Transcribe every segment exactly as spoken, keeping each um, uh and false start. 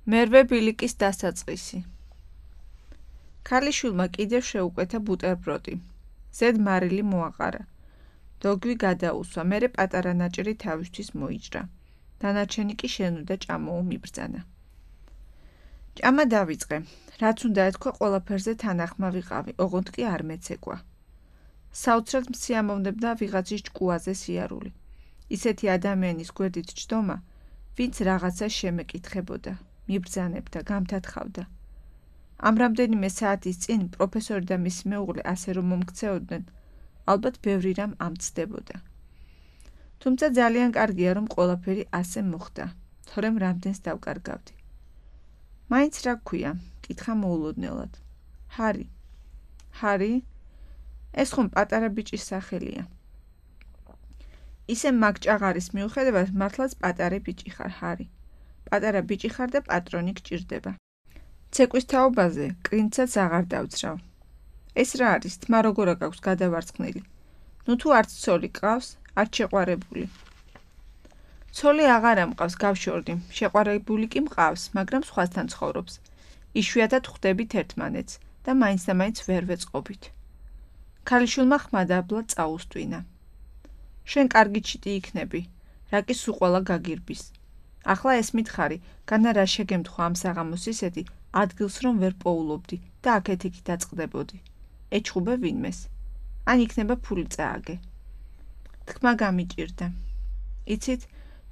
მერვე ბილიკის დასაწყისი. ქალიშვილმა კიდევ შეუკვეთა ბუტერბროდი. ზედ მარილი მოაყარა. დოგვი გადაუსვა, მერე პატარა ნაჭერი თავისთვის მოიჭრა. დანარჩენი კი შენოდა ჭამოო მიბრძანა. ჭამა დავიწყე, რაც უნდა ეთქვა ყველაფერზე თანახმა ვიყავი, ოღონდ კი არ მეცეკვა. საოცრად მსიამოვნებდა ვიღაცის ჭკუაზე სიარული. ისეთი ადამიანის გვერდით ჯდომა, ვინც რაღაცა შემეკითხებოდა, მიბრძანებდა, გამთათხავდა. ამ რამდენიმე საათის წინ პროფესორი და მისი მეუღლე ასე რომ მომქცეოდნენ, ალბათ ბევრი რამ ამცდებოდა. თუმცა ძალიან კარგია, რომ ყველაფერი ასე მოხდა, თორემ რამდენს დავკარგავდი. მაინც რა გქვია, კითხა მოულოდნელად. ჰარი. ჰარი? ეს ხომ პატარა ბიჭის სახელია. ისე მაგ ჭაღარის მიუხედავად მართლაც პატარა ბიჭი ხარ, ჰარი. პატარა ბიჭი ხარ და პატრონი გჭირდება. ცეკვის თაობაზე კრინცაც აღარ დავცრავ. ეს რა არის, თმა როგორ აქვს გადავარცხნილი. ნუ თუ არც ცოლი გყავს, არც შეყვარებული. ცოლი აღარა მყავს, გავშორდი, შეყვარებული კი მყავს, მაგრამ სხვასთან ცხოვრობს. იშვიათად ხვდებით ერთმანეთს და მაინც და მაინც ვერ ვეწყობით. ქალიშვილმა ხმადაბლა წაუსტვინა. შენ კარგი ჩიტი იქნები, რა კი სულ ყველა გაგირბის. ახლა ეს მითხარი, განა რა შეგემთხვა ამ საღამოს ისეთი, ადგილს რომ ვერ პოულობდი და აქეთ-იქით დაწყდებოდი. ეჩხუბე ვინმეს. ან იქნება ფული წააგე. თქმა გამიჭირდა. იცით,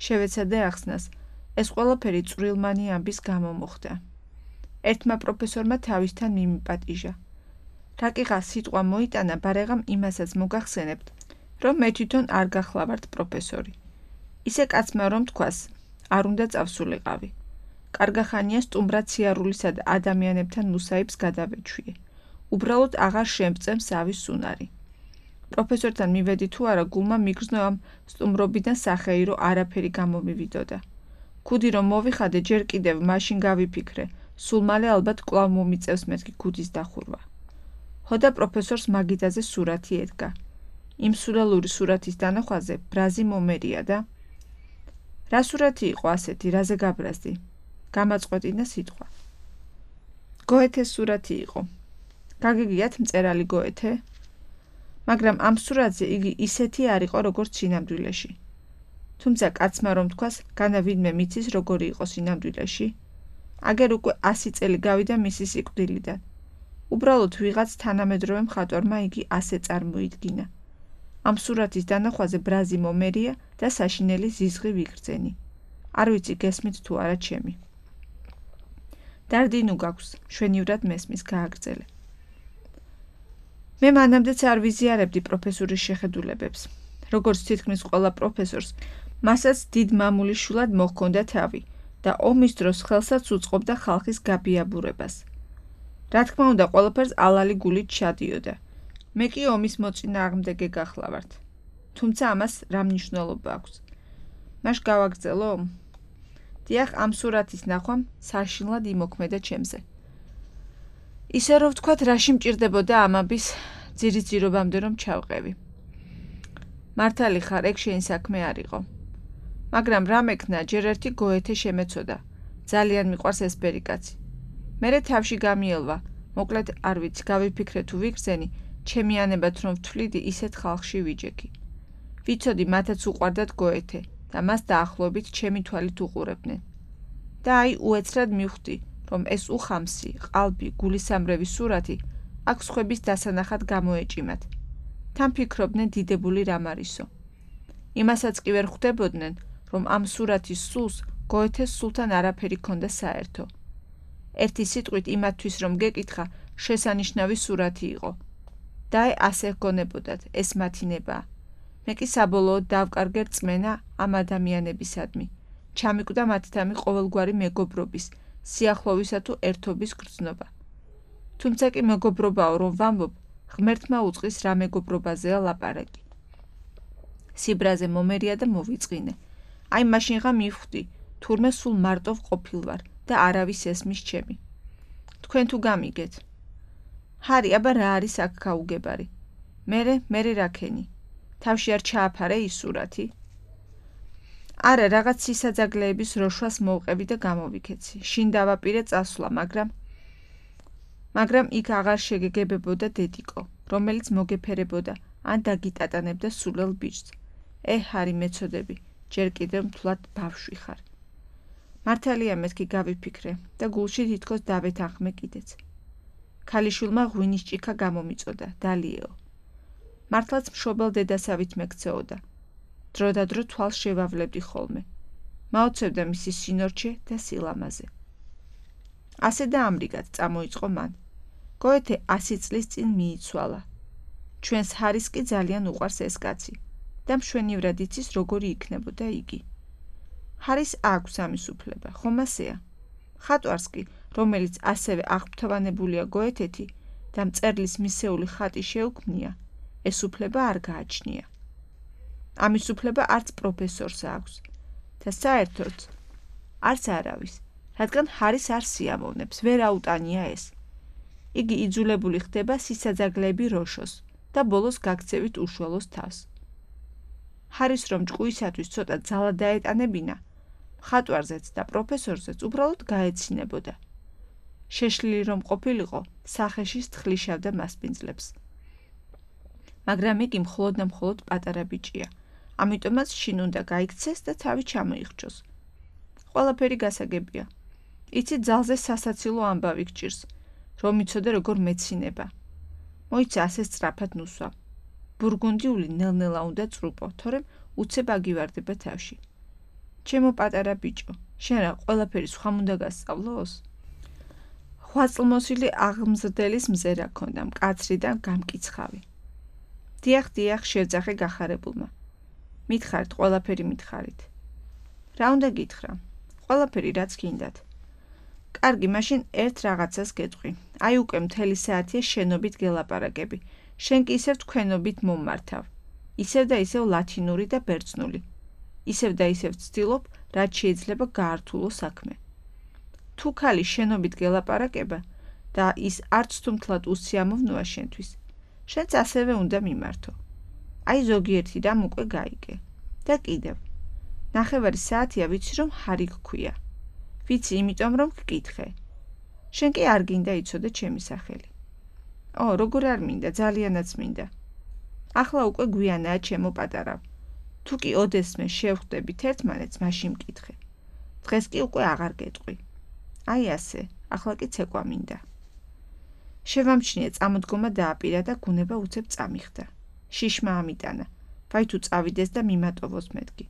შევეცადე ახსნას, ეს ყველაფერი წვრილმანი ამბის გამო მოხდა. ერთმა პროფესორმა თავისთან მიმიპატიჟა. რაკიღა სიტყვა მოიტანა, ბარեղამ იმასაც მოგახსენებთ, რომ მე თვითონ არ გახლავართ პროფესორი. ისე კაცმა რომ თქვას, არ უნდა წავსულიყავი. კარგახანია სტუმრად სიარულისა და ადამიანებთან მუსაიბს გადავეჩვიე. უბრალოდ აღარ შემწემს ავის უნარი. პროფესორთან მივედი თუ არა, გულმა მიგრძნო ამ სტუმრობიდან სახეირო არაფერი გამომივიდოდა. ქუდი რომ მოვიხადე, ჯერ კიდევ მაშინ გავიფიქრე, სულ მალე ალბათ კვლავ მომიწევს მეთქი ქუდის დახურვა. ჰოდა პროფესორს მაგიდაზე სურათი ედგა. იმ სულელური სურათის დანახვაზე ბრაზი მომერია და რა სურათი იყო ასეთი, რაზე გაბრაზდი? გამაწყვეტინა სიტყვა. გოეთეს სურათი იყო. გაგიგიათ მწერალი გოეთე? მაგრამ ამ სურათზე იგი ისეთი არ იყო, როგორც სინამდვილეში. თუმცა კაცმა რომ თქვას, განა ვინმე მიცის, როგორი იყო სინამდვილეში? აგერ უკვე ასი წელი გავიდა მისი სიკვდილიდან. უბრალოდ ვიღაც თანამედროვე მხატვარმა იგი ასე წარმოიდგინა. ამ სურათის დანახვაზე ბრაზი მომერია და საშინელი ზიზღი ვიგრძენი. არ ვიცი გესმით თუ არა ჩემი. დარდინუ გაქვს, შვენივრად მესმის, გააგრძელე. მე მანამდეც არ ვიზიარებდი პროფესორის შეხედულებებს. როგორც თითქმის ყველა პროფესორს, მასაც დიდ მამულიშვილად მოჰქონდა თავი და ომის დროს ხელსაც უწყობდა ხალხის გაბიაბურებას. რა თქმა უნდა, ყველაფერს ალალი გულით ჩადიოდა. მე კი ომის მოწინააღმდეგე გახლავართ. თუმცა ამას რა მნიშვნელობა აქვს? მაშ გავაგრძელო? დიახ, ამ სურათის ნახვამ საშინლად იმოქმედა ჩემზე. ისე რომ ვთქვათ, რაში მჭირდებოდა ამაბის ძირითძირობამდე რომ ჩავყევი. მართალი ხარ, ეგ შენი საქმე არ იყო. მაგრამ რა მექნა, ჯერ ერთი გოეთე შემეცოდა. ძალიან მიყვარს ეს ბერიკაცი. მერე თავში გამიელვა, მოკლედ არ ვიცი, გავიფიქრე თუ ვიგრძენი, ჩემი ანებად რომ ვთვლიდი, ისეთ ხალხში ვიჯექი. ვიცოდი, მათაც უყვარდათ გოეთე და მას დაახლოებით ჩემი თვალით უყურებდნენ. და აი უეცრად მივხვდი, რომ ეს უხამსი, ყალბი, გულისამრევი სურათი აქ სხვების დასანახად გამოეჭიმათ. თან ფიქრობდნენ დიდებული რამ არისო. იმასაც კი ვერ ხვდებოდნენ, რომ ამ სურათის სულს გოეთეს სულთან არაფერი ქონდა საერთო. ერთი სიტყვით იმათთვის რომ გეკითხა, შესანიშნავი სურათი იყო. და აი ასე გონებოდათ, ეს მათი ნება. მე კი საბოლოოდ დავკარგე რწმენა ამ ადამიანებისადმი. ჩამიკვდა მათთამი ყოველგვარი მეგობრობის, სიახლოვისა თუ ერთობის გრძნობა. თუმცა კი მეგობრობაო რომ ვამბობ, ღმერთმა უწყის რა მეგობრობაზეა ლაპარაკი. სიბრაზე მომერია და მოვიწყინე. აი მაშინღა მივხვდი, თურმე სულ მარტო ვყოფილვარ და არავის ესმის ჩემი. თქვენ თუ გამიგეთ. ჰარი, აბა რა არის აქ გაუგებარი? მერე, მერე რაქენი? თავში არ ჩააფარე ის სურათი? არა, რაღაც სისაძაგლეების როშვას მოვყევი და გამოვიქეცი. შინ დავაპირე წასვლა, მაგრამ მაგრამ იქ აღარ შეგეგებებოდა დედიკო, რომელიც მოგეფერებოდა ან დაგიტატანებდა სულელ ბიჭს. ე, ჰარი მეწოდები, ჯერ კიდევ მთლად ბავშვი ხარ. მართალია მეთქი გავიფიქრე და გულში თითქოს დავეთანხმე კიდეც. ქალიშვილმა ღვინის ჭიქა გამომიწოდა, დალიეო. მართლაც მშობელ დედასავით მეკცეოდა. დრო და დრო თვალს შევავლებდი ხოლმე. მაოცებდა მისი სინორჩე და სილამაზე. ასე და ამრიგად წამოიწყო მან. გოეთე ასი წლის წინ მიიცვალა. ჩვენს ჰარის კი ძალიან უყვარს ეს კაცი და მშვენივრად იცის როგორი იქნებოდა იგი. ჰარის აქვს ამის უფლება, ხომ ასეა? ხატვარს კი, რომელიც ასევე აღფრთოვანებულია გოეთეთი და მწერლის მისეული ხატი შეუქმნია, ეს უფლება არ გააჩნია. ამის უფლება არც პროფესორს აქვს და საერთოდ არც არავის, რადგან ჰარის არ სიამოვნებს, ვერ აუტანია ეს. იგი იძულებული ხდება სისაძაგლეები როშოს და ბოლოს გაქცევით უშველოს თავს. ჰარის რომ ჭკუისათვის ცოტა ძალა დაეტანებინა, მხატვარზეც და პროფესორზეც უბრალოდ გაეცინებოდა. შეშლილი რომ ყოფილიყო, სახეში სთხლიშავდა მასპინძლებს. მაგრამ იგი მხოლოდ და მხოლოდ პატარა ბიჭია, ამიტომაც შინ უნდა გაიქცეს და თავი ჩამოიხრჩოს. ყველაფერი გასაგებია. იცი ძალზე სასაცილო ამბავი გჭირს, რომ იცოდე როგორ მეცინება. მოიცა ასე სწრაფად ნუსვა. ბურგუნდიული ნელ-ნელა უნდა წრუპო, თორემ უცებ აგივარდება თავში. ჩემო პატარა ბიჭო, შენ რა ყველაფერი სხვამ უნდა გასწავლოს? ხვაწლმოსილი აღმზრდელის მზერა ქონდა, მკაცრი და გამკიცხავი. დიახ, დიახ, შევძახე გახარებულმა. მითხარით, ყველაფერი მითხარით. რა უნდა გითხრა? ყველაფერი რაც გინდათ. კარგი, მაშინ ერთ რაღაცას გეტყვი. აი უკვე მთელი საათია შენობით გელაპარაკები. შენ კი ისევ თქვენობით მომმართავ. ისევ და ისევ ლათინური და ბერძნული. ისევ და ისევ ვცდილობ, რაც შეიძლება გაართულო საქმე. თუ ქალი შენობით გელაპარაკება და ის არც თუ მთლად უსიამოვნოა შენთვის, შენც ასევე უნდა მიმართო. აი ზოგიერთი რამ უკვე გაიგე. და კიდევ. ნახევარი საათია ვიცი რომ ჰარი გქვია. ვიცი იმიტომ რომ გკითხე. შენ კი არ გინდა იცოდე ჩემი სახელი. ო, როგორ არ მინდა, ძალიანაც მინდა. ახლა უკვე გვიანაა ჩემო პატარავ. თუ კი ოდესმე შევხვდებით ერთმანეთს, მაშინ მკითხე. დღეს კი უკვე აღარ გეტყვი. აი ასე, ახლა კი ცეკვა მინდა. შევამჩნიე წამოდგომა დააპირა და გუნება უცებ წამიხდა. შიშმა ამიტანა. ვაი თუ წავიდეს და მიმატოვოს მეთქი.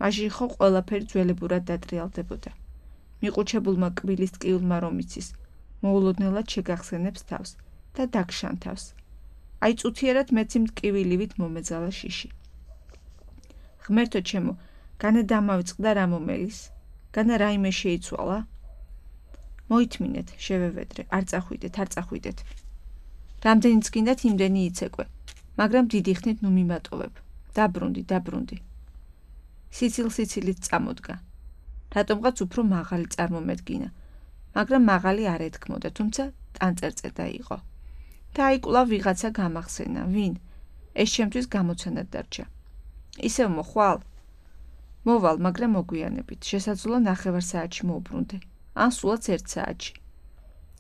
მაშინ ხო ყველაფერი ძველებურად დატრიალდებოდა. მიყუჩებულმა კბილის ტკივილმა რომ იცის, მოულოდნელად შეგახსენებს თავს და დაგშანთავს. აი წუთიერად მეცი მტკივილივით მომეძალა შიში. ღმერთო ჩემო, განა დამავიწყდა რა მომელის, განა რაიმე შეიცვალა? მოითმინეთ, შევევედრე, არ წახვიდეთ, არ წახვიდეთ. რამდენიც გინდათ იმდენი იცეკვე, მაგრამ დიდი ხნით ნუ მიმატოვებ. დაბრუნდი, დაბრუნდი. სიცილ-სიცილით წამოდგა. რატომღაც უფრო მაღალი წარმომედგინა, მაგრამ მაღალი არ ეთქმოდა, თუმცა ტანწერწედა იყო. და აი კვლავ ვიღაცა გამახსენა, ვინ? ეს ჩემთვის გამოცანად დარჩა. ისევ მოხვალ? მოვალ, მაგრამ მოგვიანებით, შესაძლოა ნახევარ საათში მოვბრუნდე, ან სულაც ერთ საათში.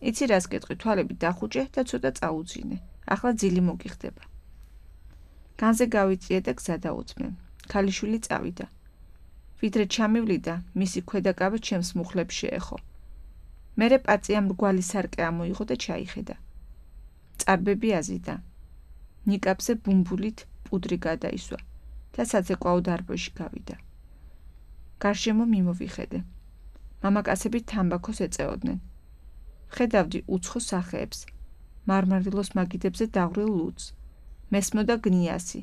იცი რას გეტყვი, თვალები დახუჭე და ცოტა წაუძინე, ახლა ძილი მოგიხდება. განზე გავიწიე და გზა დაუწმე. ქალიშვილი წავიდა. ვიდრე ჩამივლიდა, მისი ქვედაკავე ჩემს მუხლებს შეეხო. მერე პაწია მრგვალი სარკე ამოიღო და ჩაიხედა. წარბები აზიდა. ნიკაპზე ბუმბულით პუდრი გადაისვა და საცეკვაო დარბაზში გავიდა. გარშემო მიმოვიხედე. მამაკაცები თამბაქოს ეწეოდნენ. ხედავდი უცხო სახეებს, მარმარილოს მაგიდებზე დაღვრილ ლუდს, მესმოდა გნიასი,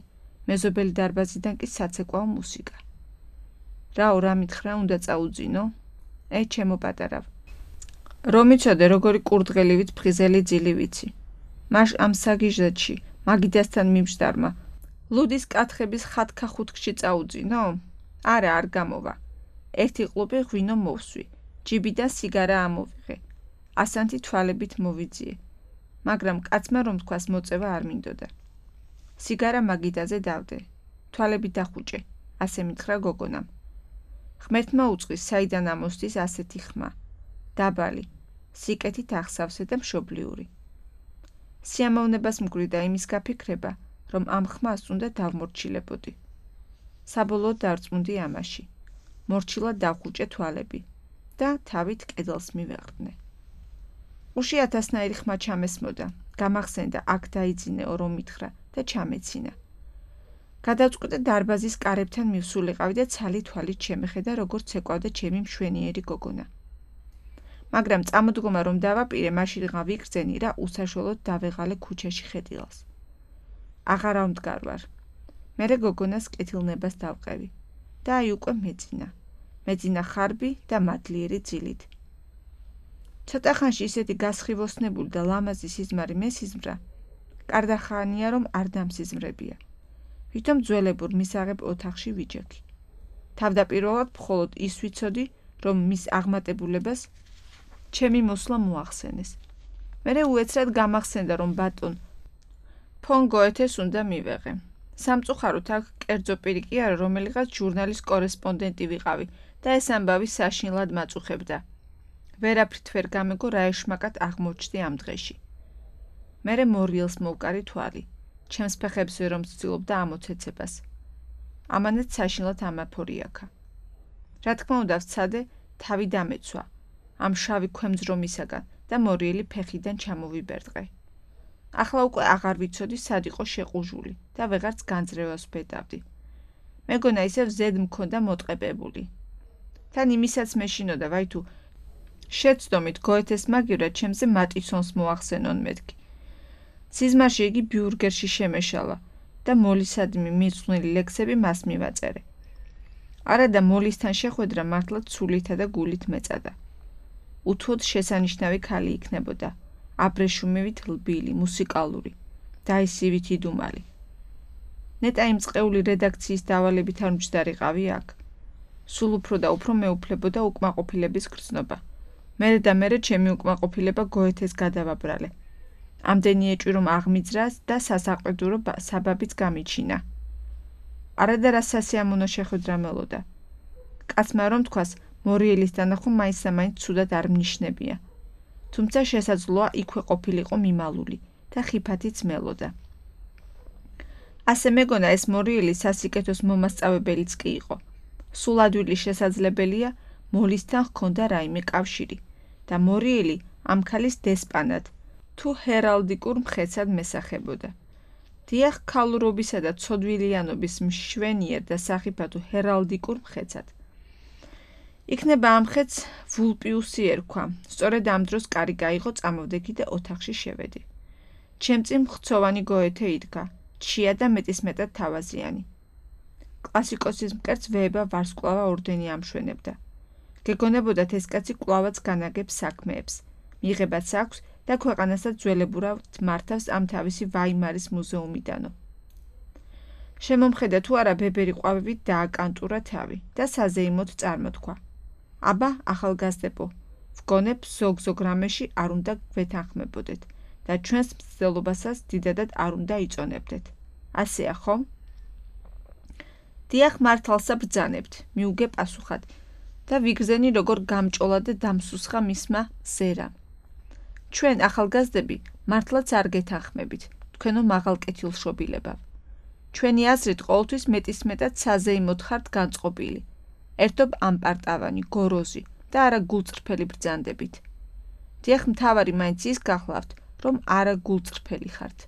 მეზობელი დარბაზიდან კი საცეკვაო მუსიკა. რაო, რა მითხრა, უნდა წაუძინო? ე, ჩემო პატარავ. რომ იცოდე, როგორი კურდღელივით ფხიზელი ძილი ვიცი. მაშ ამ საგიჟდში, მაგიდასთან მიმჯდარმა, ლუდის კათხების ხათქა-ხუთქში წაუძინო? არა, არ გამოვა. ერთი ყლუპი ღვინო მოვსვი, ჯიბიდან სიგარა ამოვიღე. ასანთი თვალებით მოვიძიე. მაგრამ კაცმა რომ თქვას მოწევა არ მინდოდა. სიგარა მაგიდაზე დავდე. თვალები დახუჭე, ასე მითხრა გოგონამ. ღმერთმა უწყის, საიდან ამოსდის ასეთი ხმა, დაბალი, სიკეთით აღსავსე და მშობლიური. სიამოვნებას მკვრივდა იმის გაფიქრება, რომ ამ ხმას უნდა დავმორჩილებოდი. საბოლოოდ დარწმუნდი ამაში. მორჩილად დავხუჭე თვალები და თავით კედელს მივეყრდნე. უში ათასნაირი ხმა ჩამესმოდა, გამახსენდა აქ დაიძინეო რომ მითხრა და ჩამეცინა. გადავწყვიტე დარბაზის კარებთან მივსულიყავი და ცალი თვალით შემეხედა, როგორც ეკავდა ჩემი მშვენიერი გოგონა. მაგრამ წამოდგომა რომ დავაპირე, მაშინღა ვიგრძენი რა უსაშველოდ დავეღალე ქუჩაში ხედილას. აღარა ვმდგარ ვარ. მერე გოგონას კეთილნებას დავყევი და აი უკვე მეძინა. მეძინა ხარბი და მადლიერი ძილით. ცოტა ხანში ისეთი გასხივოსნებული და ლამაზი სიზმარი მესიზმრა, კარდახანია რომ არ დამსიზმრებია. ვითომ ძველებურ მისაღებ ოთახში ვიჯექი. თავდაპირველად მხოლოდ ის ვიცოდი, რომ მის აღმატებულებას ჩემი მოსვლა მოახსენეს. მერე უეცრად გამახსენდა, რომ ბატონ ფონ გოეთეს უნდა მივეღე. სამწუხაროდ აქ კერძო პირი კი არა, რომელიღაც ჟურნალის კორესპონდენტი ვიყავი და ეს ამბავი საშინლად მაწუხებდა. ვერაფრით ვერ გამეგო რა ეშმაკად აღმოჩნდი ამ დღეში. მერე მორიელს მოვკარი თვალი. ჩემს ფეხებს ვერ ვცდილობდა ამოცეცებას. ამანაც საშინლად ამაფორიაქა. რა თქმა უნდა ვცადე, თავი დამეცვა. ამ შავი ქვემძრომისაგან და მორიელი ფეხიდან ჩამოვიბერდყე. ახლა უკვე აღარ ვიცოდი სად იყო შეყუჟული და ვეღარც განძრევას ვბედავდი. მეგონა ისევ ზედ მქონდა მოტყებებული. თან იმისაც მეშინოდა, ვაი თუ შეცდომით გოეთეს მაგივრად ჩემზე მატისონს მოახსენონ მეთქი. სიზმარში იგი ბიურგერში შემეშალა და მოლისადმი მისხვნილი ლექსები მას მივაწერე. არა და მოლისთან შეხვედრა მართლა ცულითა და გულით მეწადა. უთუოდ შესანიშნავი ქალი იქნებოდა. აბრეშუმივით ლბილი, მუსიკალური, დაისივით იდუმალი. ნეტა იმ წყეული რედაქციის დავალებით არ მჯდარიყავი აქ. სულ უფრო და უფრო მეუფლებოდა უკმაყოფილების გრძნობა. მერე და მერე ჩემი უკმაყოფილება გოეთეს გადავაბრალე. ამდენი ეჭვი რომ აღმიძრას და სასაყვედურო საბაბიც გამიჩინა. არადა რა სასიამოვნო შეხვედრა მელოდა. კაცმა რომ თქვას, მორიელის დანახვა მაინც-მაინც ცუდად არ მნიშნებია. თუმცა შესაძლოა იქვე ყოფილიყო მიმალული და ხიფათიც მელოდა. ასე მეგონა ეს მორიელი სასიკეთოს მომასწავებელიც კი იყო. სულ ადვილი შესაძლებელია მოლისთან ჰქონდა რაიმე კავშირი და მორიელი ამ ქალის დესპანად თუ ჰერალდიკურ მხეცად მესახებოდა. დიახ, ქალურობისა და ცოდვილიანობის მშვენიერ და სახიფათო ჰერალდიკურ მხეცად. იქნება ამ მხეცს ვულპიუსი ერქვა. სწორედ ამ დროს კარი გაიღო, წამოვდექი და ოთახში შევედი. ჩემ წინ მხცოვანი გოეთე იდგა, ჩია და მეტისმეტად თავაზიანი. კლასიკოსის მკერდს ვეება ვარსკვლავა ორდენი ამშვენებდა. გეგონებოდათ ეს კაცი კვლავაც განაგებს საქმეებს. მიღებაც აქვს და ქვეყანასაც ძველებურად მართავს ამ თავისი ვაიმარის მუზეუმიდანო. შემომხედა თუ არა ბებერი ყვავებით დააკანტურა თავი და საზეიმოდ წარმოთქვა. აბა, ახალგაზრდებო, ვგონებ ზოგ-ზოგ რამეში არ უნდა გვეთანხმებოდეთ და ჩვენს მცდელობასაც დიდადად არ უნდა იწონებდეთ. ასეა ხომ? დიახ, მართალსა ბრძანებთ, მიუგე პასუხად და ვიგრძენი როგორ გამჭოლა და დამსუსხა მისმა ზერამ. ჩვენ ახალგაზრდები მართლაც არ გეთანხმებით, თქვენო მაღალკეთილშობილებავ. ჩვენი აზრით ყოველთვის მეტისმეტად საზეიმოდ ხართ განწყობილი. ერთობ ამპარტავანი, გოროზი და არა გულწრფელი ბრძანდებით. დიახ, მთავარი მაინც ის გახლავთ, რომ არა გულწრფელი ხართ.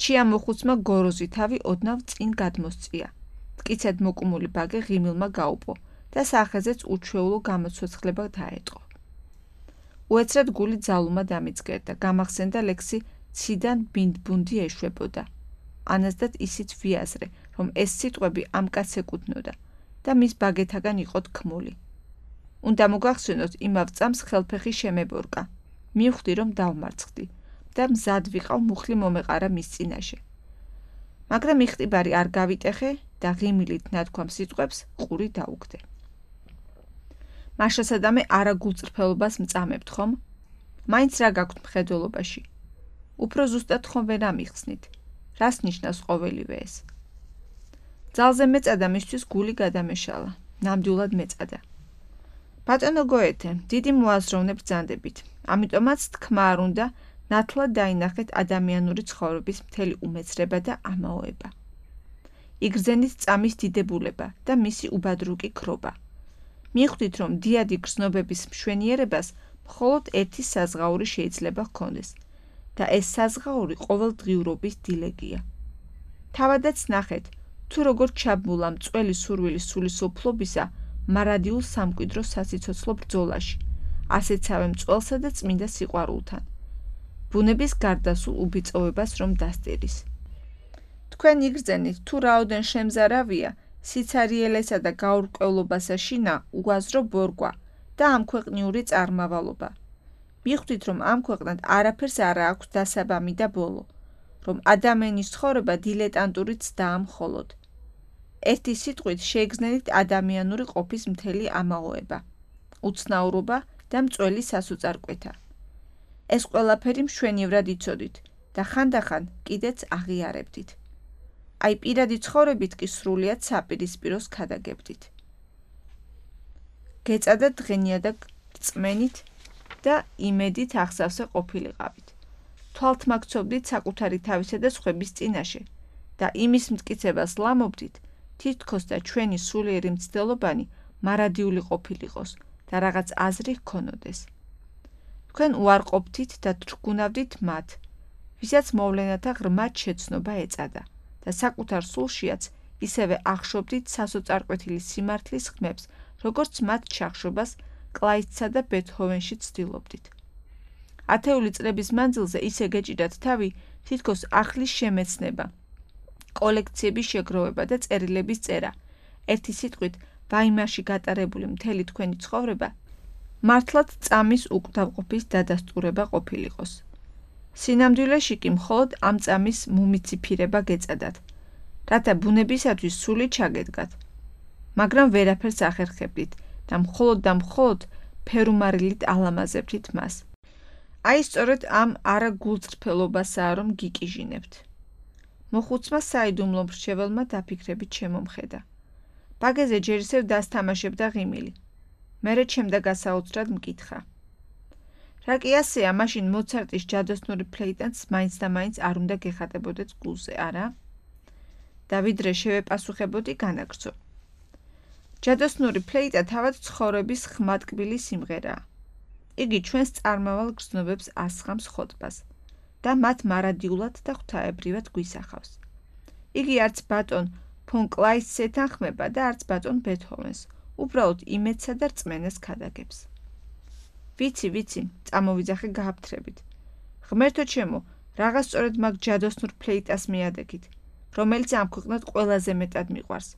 ჩია მოხუცმა გოროზი თავი ოდნავ წინ გადმოსწია. მტკიცედ მოკუმული ბაგე ღიმილმა გაუპო და სახეზეც უჩვეულო გამოცოცხლება დაეტყო. უეცრად გული ძალუმა დამიძგერდა, გამახსენდა ლექსი ციდან ბინდბუნდი ეშვებოდა. ანაზდათ ისიც ვიაზრე, რომ ეს სიტყვები ამ კაცს ეკუთვნოდა და მის ბაგეთაგან იყო თქმული. უნდა მოგახსენოთ, იმავ წამს ხელფეხი შემებორკა. მივხვდი, რომ დავმარცხდი და მზად ვიყავ მუხლი მომეყარა მის წინაშე. მაგრამ იხტიბარი არ გავიტეხე და ღიმილით ნათქვამ სიტყვებს ყური დაუგდე. მაშასადამე არა გულწრფელობას მწამებთ ხომ? მაინც რა გაქვთ მხედველობაში? უფრო ზუსტად ხომ ვერ ამიხსნით? რას ნიშნავს ყოველივე ეს? ძალზე მეწადა მისთვის გული გადამეშალა. ნამდვილად მეწადა. ბატონო გოეთე, დიდი მოაზროვნე ბრძანდებით. ამიტომაც თქმა არ უნდა, ნათლად დაინახეთ ადამიანური ცხოვრების მთელი უმეცრება და ამაოება. იგრძენით წამის დიდებულება და მისი უბადრუკი ქრობა. მიხვდით, რომ დიადი გრძნობების მშვენიერებას მხოლოდ ერთი საზღაური შეიძლება ჰქონდეს და ეს საზღაური ყოველდღიურობის დილეგია. თავადაც ნახეთ, თუ როგორ ჩაბმულა მწველი სურვილის სულისოფლობისა მარადიულ სამკვიდრო სასიცოცხლო ბრძოლაში, ასეცავე მწველსა და წმინდა სიყვარულთან. ბუნების გარდასულ უბიწოვებას რომ დასტირის. თქვენ იგრძენით, თუ რაოდენ შემზარავია, სიცარიელესა და გაურკვევლობასა შინა უაზრო ბორგვა და ამქვეყნიური წარმავალობა. მიხვდით, რომ ამ ქვეყნად არაფერს არა აქვს დასაბამი და ბოლო, რომ ადამიანის ცხოვრება დილეტანტური ცდაა მხოლოდ. ერთი სიტყვით შეიგრძნით ადამიანური ყოფის მთელი ამაოება, უცნაურობა და მწველი სასოწარკვეთა. ეს ყველაფერი მშვენივრად იცოდით და ხანდახან კიდეც აღიარებდით. აი პირადი ცხოვრებით კი სრულიად საპირისპიროს ქადაგებდით. გეწადა დღენიადა რწმენით და იმედით აღსავსე ყოფილიყავით. თვალთ მაგცობდით საკუთარი თავისა და სხვების წინაშე და იმის მტკიცებას ლამობდით, თითქოს და ჩვენი სულიერი მცდელობანი მარადიული ყოფილიყოს და რაღაც აზრი ჰქონოდეს. თქვენ უარყოფთით და თრგუნავდით მათ, ვისაც მოვლენათა ღრმად შეცნობა ეწადა და საკუთარ სულშიაც ისევე ახშობდით სასოწარკვეთილი სიმართლის ხმებს, როგორც მათ ჩახშობას კლაისთსა და ბეთჰოვენში ცდილობდით. ათეული წლების მანძილზე ისე გეჭიდათ თავი, თითქოს ახლის შემეცნება, კოლექციების შეგროვება და წერილების წერა. ერთი სიტყვით, ვაიმარში გატარებული მთელი თქვენი ცხოვრება მართლად წამის უკვდავყოფის დადასტურება ყოფილიყოს. სინამდვილეში კი მხოლოდ ამ წამის მუმიციფირება გეწადათ, რათა ბუნებისათვის სული ჩაგედგათ. მაგრამ ვერაფერს ახერხებდით და მხოლოდ და მხოლოდ ფერუმარილით ალამაზებდით მას. აი სწორედ ამ არაგულწრფელობასაა რომ გიკიჟინებთ. მოხუცმა საიდუმლო მრჩეველმა დაფიქრებით შემომხედა. ბაგეზე ჯერ ისევ დასთამაშებდა ღიმილი. მერე ჩემდა გასაოცრად მკითხა. რა კი ასეა, მაშინ მოცარტის ჯადოსნური ფლეიტანს მაინც და მაინც არ უნდა გეხატებოდეთ გულზე, არა? და ვიდრე შევეპასუხებოდი, განაგრძო. ჯადოსნური ფლეიტა თავად ცხოვრების ხმატკბილი სიმღერაა. იგი ჩვენს წარმავალ გრძნობებს ასხამს ხოტბას და მათ მარადიულად და ღვთაებრივად გვისახავს. იგი არც ბატონ ფონ კლაისს ეთანხმება და არც ბატონ ბეთჰოვენს, უბრალოდ იმედსა და რწმენას ქადაგებს. ვიცი, ვიცი, წამოვიძახე გააფთრებით. ღმერთო ჩემო, რაღაც სწორედ მაგ ჯადოსნურ ფლეიტას მიადექით, რომელიც ამ ქვეყნად ყველაზე მეტად მიყვარს.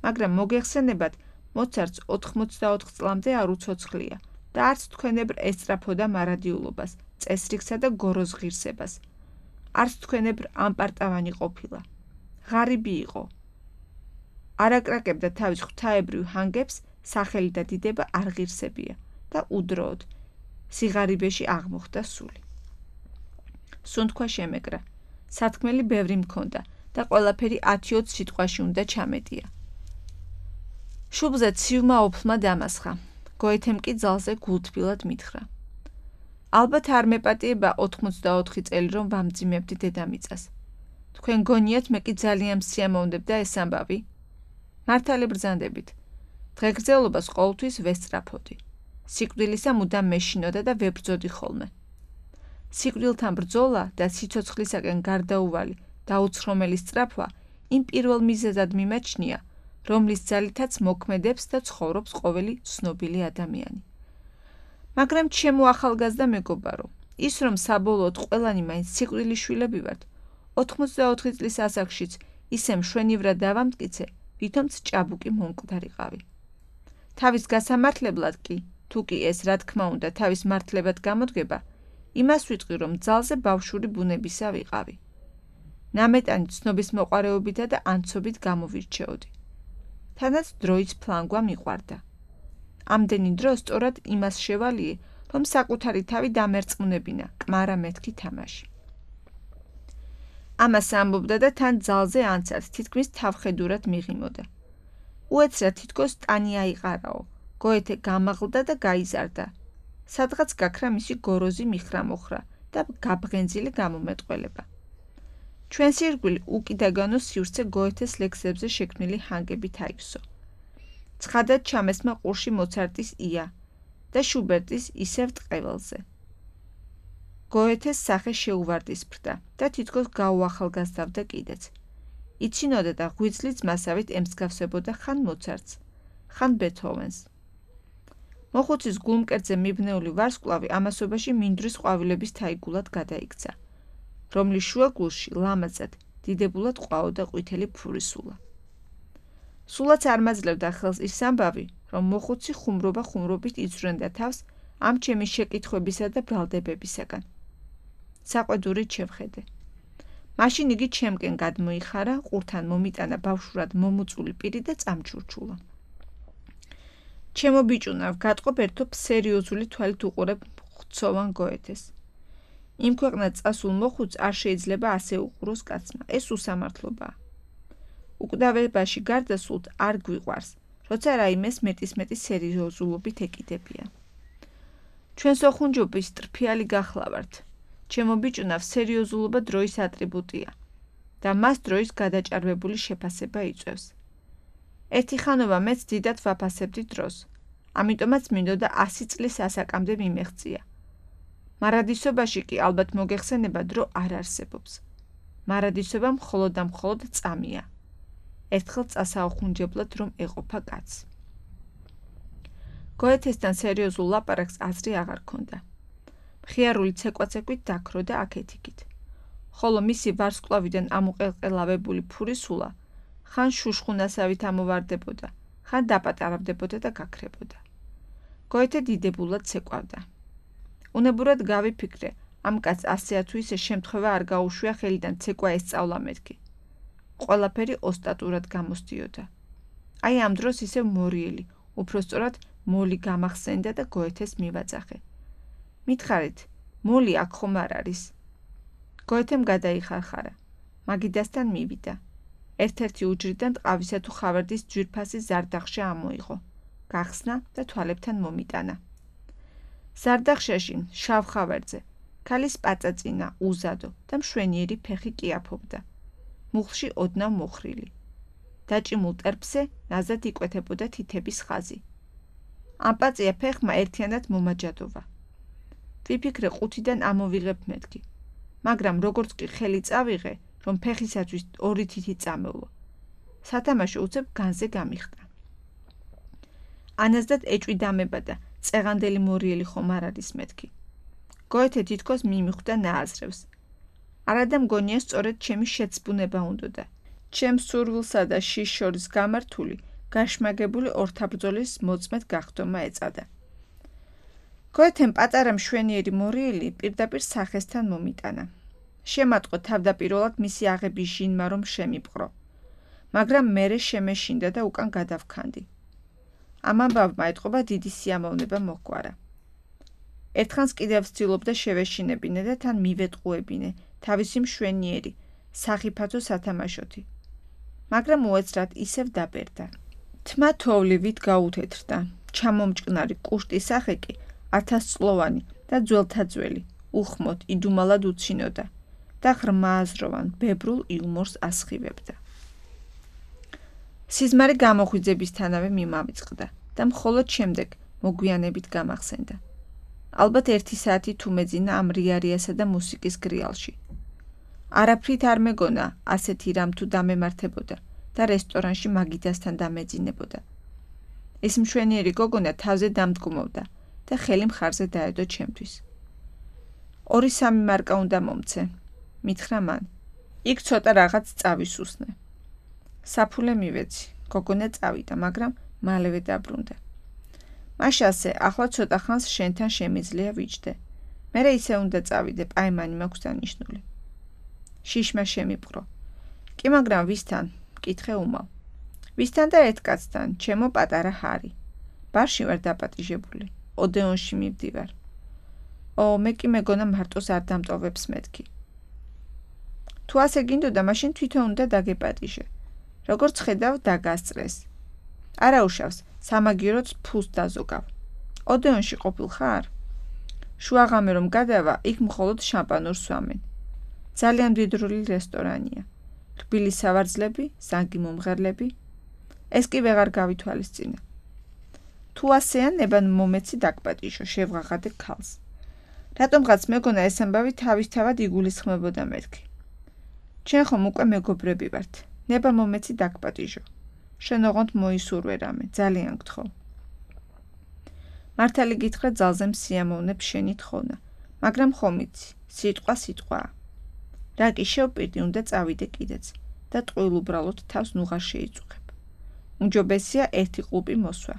მაგრამ მოგეხსენებათ, მოცარტს ოთხმოცდაოთხ წლამდე არ უცოცხლია და არც თქვენებრ ესწრაფოდა მარადიულობას, წესრიგსა და გოროს ღირსებას. არც თქვენებრ ამპარტავანი ყოფილა. ღარიბი იყო. არაკრაკებდა თავის ღვთაებრივ ჰანგებს, სახელი და დიდება არ ღირსებია და უდროოდ სიღარიბეში აღმოხდა სული. სუნთქვა შემეკრა. სათქმელი ბევრი მქონდა და ყველაფერი ათი-ოცი სიტყვაში უნდა ჩამეტია. შუბლზე ცივმა ოფლმა დამასხა. გოეთემ კი ძალზე გულთბილად მითხრა. ალბათ არ მეპატიება ოთხმოცდაოთხი წელი რომ ვამძიმებდი დედამიწას. თქვენ გონიათ მე კი ძალიან მსიამოვნებ და ეს ამბავი? მართალი ბრძანდებით. დღეგრძელობას ყოველთვის ვესწრაფოდი. სიკვდილისა მუდამ მეშინოდა და ვებრძოდი ხოლმე. სიკვდილთან ბრძოლა და სიცოცხლისაკენ გარდაუვალი და უცხრომელი სწრაფვა იმ პირველ მიზეზად მიმაჩნია, რომლის ძალითაც მოქმედებს და ცხოვრობს ყოველი ცნობილი ადამიანი. მაგრამ ჩემო ახალგაზრდა მეგობარო, ის რომ საბოლოოდ ყველანი მაინც სიკვდილის შვილები ვართ, ოთხმოცდაოთხი წლის ასაკშიც ისე მშვენივრად დავამტკიცე, ვითომც ჭაბუკი მომკვდარიყავი. თავის გასამართლებლად კი, თუ კი ეს რა თქმა უნდა თავის მართლებად გამოდგება, იმას ვიტყვი, რომ ძალზე ბავშვური ბუნებისა ვიყავი. ნამეტანი ცნობის მოყარეობითა და ანცობით გამოვირჩეოდი. თანაც დროის ფლანგვა მიყვარდა. ამდენი დრო სწორად იმას შევალიე, რომ საკუთარი თავი დამერწმუნებინა, კმარა მეთქი თამაში. ამას ამბობდა და თან ძალზე ანცად, თითქმის თავხედურად მიღიმოდა. უეცრად თითქოს ტანი აიყარაო. გოეთე გამაღლდა და გაიზარდა. სადღაც გაქრა მისი გოროზი მიხრა-მოხრა და გაბღენძილი გამომეტყველება. ჩვენს ირგვლივ უკიდაგანო სივრცე გოეთეს ლექსებზე შექმნილი ჰანგებით აივსო. ცხადად ჩამესმა ყურში მოცარტის ია და შუბერტის ისევ ტყეველზე. გოეთეს სახე შეუვარდისფრდა და თითქოს გაუახალგაზრდავდა კიდეც. იცინოდა და ღვიძლი ძმასავით ემსგავსებოდა ხან მოცარტს, ხან ბეთჰოვენს. მოხუცის გულმკერდზე მიბნეული ვარსკვლავი ამასობაში მინდვრის ყვავილების თაიგულად გადაიქცა, რომლის შუაგულში ლამაზად, დიდებულად ყვაოდა ყვითელი ფურისულა. სულაც არ მაძლევდა ხელს ის ამბავი, რომ მოხუცი ხუმრობა ხუმრობით იცვრენდა თავს ამ ჩემი შეკითხვებისა და ბრალდებებისაგან. საყვედურით შევხედე. მაშინ იგი ჩემკენ გადმოიხარა, ყურთან მომიტანა ბავშვურად მომუწული პირი და წამჩურჩულა. ჩემო ბიჭუნავ, გატყობ ერთობ სერიოზული თვალით უყურებ ხცოვან გოეთეს. იმ ქვეყნად წასულ მოხუცს არ შეიძლება ასე უყუროს კაცმა, ეს უსამართლობაა. უკვდავებაში გარდასულთ არ გვიყვარს, როცა რაიმეს მეტისმეტი სერიოზულობით ეკიდებიან. ჩვენ სოხუნჯობის ტრფიალი გახლავართ. ჩემო ბიჭუნავ, სერიოზულობა დროის ატრიბუტია და მას დროის გადაჭარბებული შეფასება იწვევს. ერთი ხანობა მეც დიდად ვაფასებდი დროს, ამიტომაც მინდოდა ასი წლის ასაკამდე მიმეღწია. მარადისობაში კი ალბათ მოგეხსენება დრო არ არსებობს. მარადისობა მხოლოდ და მხოლოდ წამია. ერთხელ წასაუხუნჯებლად რომ ეყოფა კაცს. გოეთესთან სერიოზულ ლაპარაკს აზრი აღარ ქონდა. მხიარული ცეკვაცეკვით დაქრო და აქეთ-იქით. ხოლო მისი ვარსკვლავიდან ამოყელყელავებული ფურისულა ხან შუშხუნასავით ამოვარდებოდა, ხან დაპატარავდებოდა და გაქრებოდა. გოეთე დიდებულად ცეკვავდა. უნებურად გავიფიქრე, ამ კაცს ასეა თუ ისე შემთხვევა არ გაუშვია ხელიდან ცეკვა ესწავლა მეთქი. ყველაფერი ოსტატურად გამოსდიოდა. აი ამ დროს ისევ მორიელი, უпроსწორად მოლი გამახსენდა და გოეთეს მივაძახე. მითხარით, მოლი აქ ხომ არ არის? გოეთემ გადაიხარხარა. მაგიდასთან მივიდა. ერთ-ერთი უჯრიდან ტყავისა თუ ხავერდის ძვირფასი ზარდახშა ამოიღო. გახსნა და თვალებთან მომიტანა. ზარდახშაში, შავ ხავერდზე, ქალის პაწაწინა, უზადო და მშვენიერი ფეხი კიაფობდა. მუხლში ოდნავ მოხრილი. დაჭიმულ ტერფზე ნაზად იკვეთებოდა თითების ხაზი. ამ პაწია ფეხმა ერთიანად მომაჯადოვა. ვიფიქრე ყუთიდან ამოვიღებ მეთქი, მაგრამ როგორც კი ხელი წავიღე, რომ ფეხისათვის ორი თითი წამევლო. სათამაშო უცებ განზე გამიხტა. ანაზდად ეჭვი დამება და წეღანდელი მორიელი ხომ არ არის მეთქი. გოეთე თითქოს მიმიხვდა ნააზრევს. არადა მგონია სწორედ ჩემი შეცბუნება უნდოდა. ჩემს სურვილსა და შიშ შორის გამართული, გაშმაგებული ორთაბრძოლის მოწმედ გახდომა ეწადა. გოეთემ პატარა მშვენიერი მორიელი პირდაპირ სახესთან მომიტანა. შემატყო თავდაპირველად მისი აღების ჟინმა რომ შემიპყრო, მაგრამ მერე შემეშინდა და უკან გადავქანდი. ამ ამბავმა ეტყობა დიდი სიამოვნება მოჰგვარა. ერთხანს კიდევ ვცდილობდა შევეშინებინე და თან მივეტყუებინე თავისი მშვენიერი, სახიფათო სათამაშოთი. მაგრამ უეცრად ისევ დაბერდა. თმა თოვლივით გაუთეთრდა, ჩამომჭკნარი კუშტის სახე კი ათასწლოვანი და ძველთაძველი, უხმოდ, იდუმალად უცინოდა და ღრმა აზროვან, ბებრულ იუმორს ასხივებდა. სიზმარი გამოხვიძებისთანავე მიმავიწყდა და მხოლოდ შემდეგ მოგვიანებით გამახსენდა. ალბათ ერთი საათი თუ მეძინა ამ რიარიასა და მუსიკის გრიალში. არაფრით არ მეგონა ასეთი რამ თუ დამემართებოდა და რესტორანში მაგიდასთან დამეძინებოდა. ეს მშვენიერი გოგონა თავზე დამდგმობდა და ხელი მხარზე დაედო ჩემთვის. ორი სამი მარკა უნდა მომცე, მითხრა მან. იქ ცოტა რაღაც წავისუსნე. საფულე მივეცი, გოგონა წავიდა, მაგრამ მალევე დაბრუნდა. მაშასე, ახლა ცოტა ხანს შენთან შემიძლია ვიჯდე. მერე ისე უნდა წავიდე, პაემანი მაქვს დანიშნული. შიშმა შემიპყრო. კი, მაგრამ ვისთან? მკითხე უმალ. ვისთან და ერთ კაცთან, ჩემო პატარა ჰარი. ბარში ვარ დაპატიჟებული. ოდეონში მივდივარ. ო, მე კი მეგონა მარტოს არ დამტოვებს მეთქი. თუ ასე გინდოდა, მაშინ თვითონ უნდა დაგეპატიჟე. როგორც ხედავ, დაგასწრეს. არა უშავს, სამაგიეროც ფულს დაზოგავ. ოდეონში ყოფილ ხარ? შუაღამე რომ გადავა, იქ მხოლოდ შამპანურს ვამენ. ძალიან მდიდრული რესტორანია. რბილი სავარძლები, ზანგი მომღერლები. ეს კი ვეღარ გავითვალისწინე. თუ ასეა ნება მომეცი დაგპატიჟო, შევღაღადე ქალს. რატომღაც მეგონა ეს ამბავი თავისთავად იგულისხმებოდა მეთქი. ჩვენ ხომ უკვე მეგობრები ვართ. ნება მომეცი დაგპატიჟო. შენ ოღონდ მოისურვე რამე, ძალიან გთხოვ. მართალი გითხრა ძალზე მსიამოვნებ შენი თხოვნა, მაგრამ ხომ იცი, სიტყვა სიტყვაა. რა კი შევპირდი, უნდა წავიდე კიდეც და ტყუილ უბრალოდ თავს ნუღარ შეიწუხებ. უმჯობესია ერთი ყლუპი მოსვა.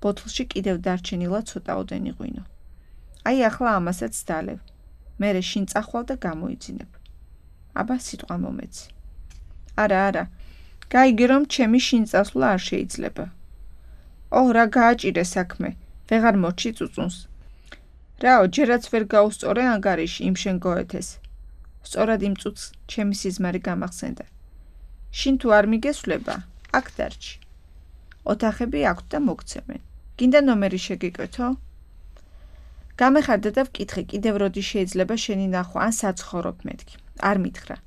ბოთლში კიდევ დარჩენილა ცოტაოდენი ღვინო. აი ახლა ამასაც დალევ. მერე შინ წახვალ და გამოიძინებ. აბა სიტყვა მომეცი. არა, არა. გაიგე რომ ჩემი შინ წასვლა არ შეიძლება. ოჰ, რა გააჭირე საქმე. ვეღარ მოჩი წუწუნს. რაო, ჯერაც ვერ გაუსწორე ანგარიში იმ შენ გოეთეს. სწორად იმ წუთს ჩემი სიზმარი გამახსენდა. შინ თუ არ მიგესვლება, აქ დარჩი. ოთახები აქვთ და მოგცემენ. გინდა ნომერი შეგიკვეთო? გამეხარდა და ვკითხე, კიდევ როდი შეიძლება შენი ნახვა ან საცხოვრობ მეთქი. არ მითხრა.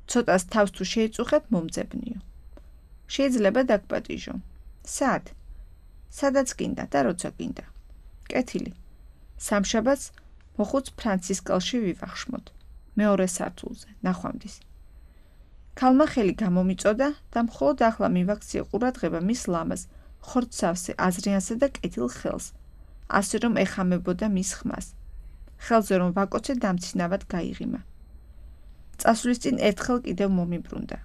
ცოტას თავს თუ შეიწუხებ, მომძებნიო. შეიძლება დაგპატიჟო. სად? სადაც გინდა და როცა გინდა. კეთილი. სამშაბათს მოხუც ფრანცისკალში ვივახშმოთ. მეორე სართულზე, ნახვამდის. ქალმა ხელი გამომიწოდა და მხოლოდ ახლა მივაქციე ყურადღება მის ლამაზ, ხორცსავსე აზრიანსა და კეთილ ხელს, ასე რომ ეხამებოდა მის ხმას. ხელზე რომ ვაკოცე დამცინავად გაიღიმა. წასვლის წინ ერთხელ კიდევ მომიბრუნდა.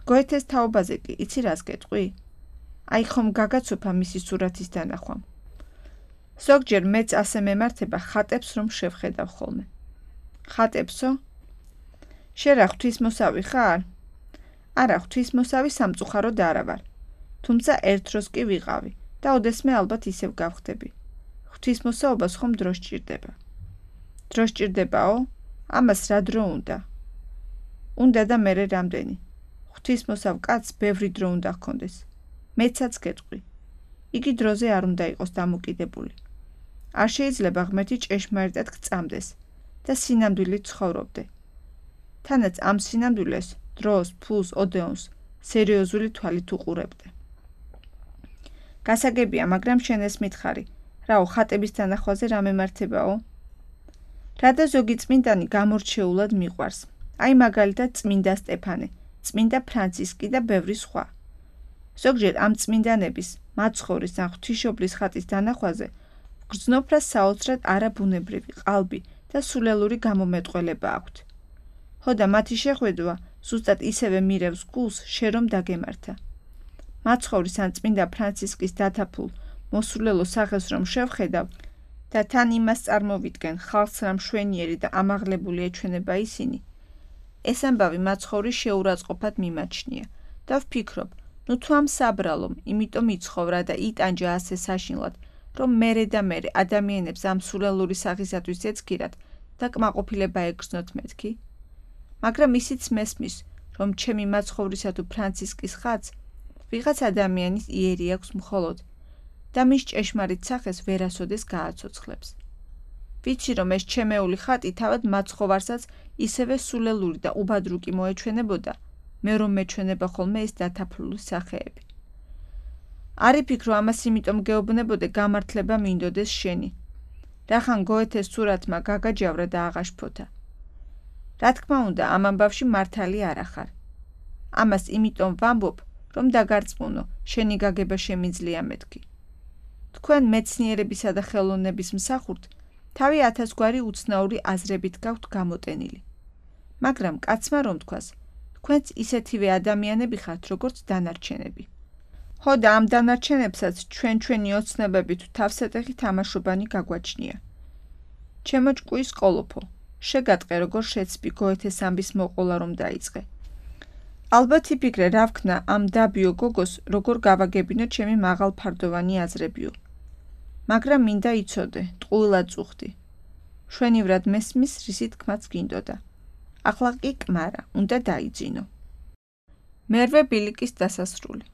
გოეთეს თაობაზე კი, იცი რას გეტყვი? აი ხომ გაგაცოფა მისი სურათის დანახვამ. ზოგჯერ მეც ასე მემართება ხატებს რომ შევხედავ ხოლმე. ხატებსო? შენ რა ღვთისმოსავი ხარ? არა, ღვთისმოსავი სამწუხაროდ არა ვარ. თუმცა ერთ დროს კი ვიყავი და ოდესმე ალბათ ისევ გავხდები. ღვთისმოსაობას ხომ დრო სჭირდება. დრო სჭირდებაო? ამას რა დრო უნდა? უნდა და მერე რამდენი. ღვთისმოსავ კაცს ბევრი დრო უნდა ჰქონდეს. მეცაც გეტყვი. იგი დროზე არ უნდა იყოს დამოკიდებული. არ შეიძლება ღმერთი ჭეშმარიტად გწამდეს და სინამდვილით ცხოვრობდე. თანაც ამ სინამდვილეს დროს, ფულს, ოდეონს სერიოზული თვალით უყურებდე. გასაგებია, მაგრამ შენ ეს მითხარი, რაო ხატების თანახვაზე რა მემართებაო? რადა ზოგი წმინდანი გამორჩეულად მიყვარს. აი მაგალითად წმინდა სტეფანე, წმინდა ფრანცისკი და ბევრი სხვა. ზოგჯერ ამ წმინდანების, მაცხოვრის ან ღვთისმშობლის ხატის დანახვაზე გრძნოფრას საოცრად არაბუნებრივი ყალბი და სულელური გამომეტყველება აქვთ. ჰოდა მათი შეხვედრა ზუსტად ისევე მირევს გულს, შე რომ დაგემართა. მაცხოვრის ან წმინდა ფრანცისკის დათაფულ მოსულელო სახეს რომ შევხედავ და თან იმას წარმოვიდგენ ხალხს რა მშვენიერი და ამაღლებული ეჩვენება ისინი, ეს ამბავი მაცხოვრის შეურაცხყოფად მიმაჩნია და ვფიქრობ, ნუ თუ ამ საბრალომ, იმიტომ იცხოვრა და იტანჯა ასე საშინლად, რომ მერე და მერე ადამიანებს ამ სულელური სახისათვის ეცქირათ და კმაყოფილება ეგრძნოთ მეთქი. მაგრამ ისიც მესმის, რომ ჩემი მაცხოვრისა თუ ფრანცისკის ხატს ვიღაც ადამიანის იერი აქვს მხოლოდ და მის ჭეშმარიტ სახეს ვერასოდეს გააცოცხლებს. ვიცი, რომ ეს ჩემეული ხატი თავად მაცხოვარსაც ისევე სულელური და უბადრუკი მოეჩვენებოდა, მე რომ მეჩვენება ხოლმე ეს დათაფლული სახეები. არ იფიქრო ამას იმიტომ გეუბნებოდე გამართლება მინდოდეს შენი. რახან გოეთეს სურათმა გაგაჯავრა და აღაშფოთა. რა თქმა უნდა, ამ ამბავში მართალი არ ახარ. ამას იმიტომ ვამბობ, რომ დაგარწმუნო, შენი გაგება შემიძლია მეთქი. თქვენ მეცნიერებისა და ხელოვნების მსახურთ, თავი ათასგვარი უცნაური აზრებით გაქვთ გამოტენილი. მაგრამ კაცმა რომ თქვას, თქვენც ისეთივე ადამიანები ხართ, როგორც დანარჩენები. ჰოდა ამ დანარჩენებსაც ჩვენ ჩვენი ოცნებებით თავსატეხი თამაშობანი გაგვაჩნია. ჩემო ჭკუის ყოლოფო, შეგატყე როგორ შეცბი გოეთეს ამბის მოყოლა რომ დაიწყე. ალბათ იფიქრე რა ვქნა ამ დაბიო გოგოს როგორ გავაგებინო ჩემი მაღალფარდოვანი აზრებიო. მაგრამ მინდა იცოდე, ტყუილად წუხდი. შვენივრად მესმის რისი თქმაც გინდოდა. ახლა კი კმარა, უნდა დაიძინო. მერვე ბილიკის დასასრული.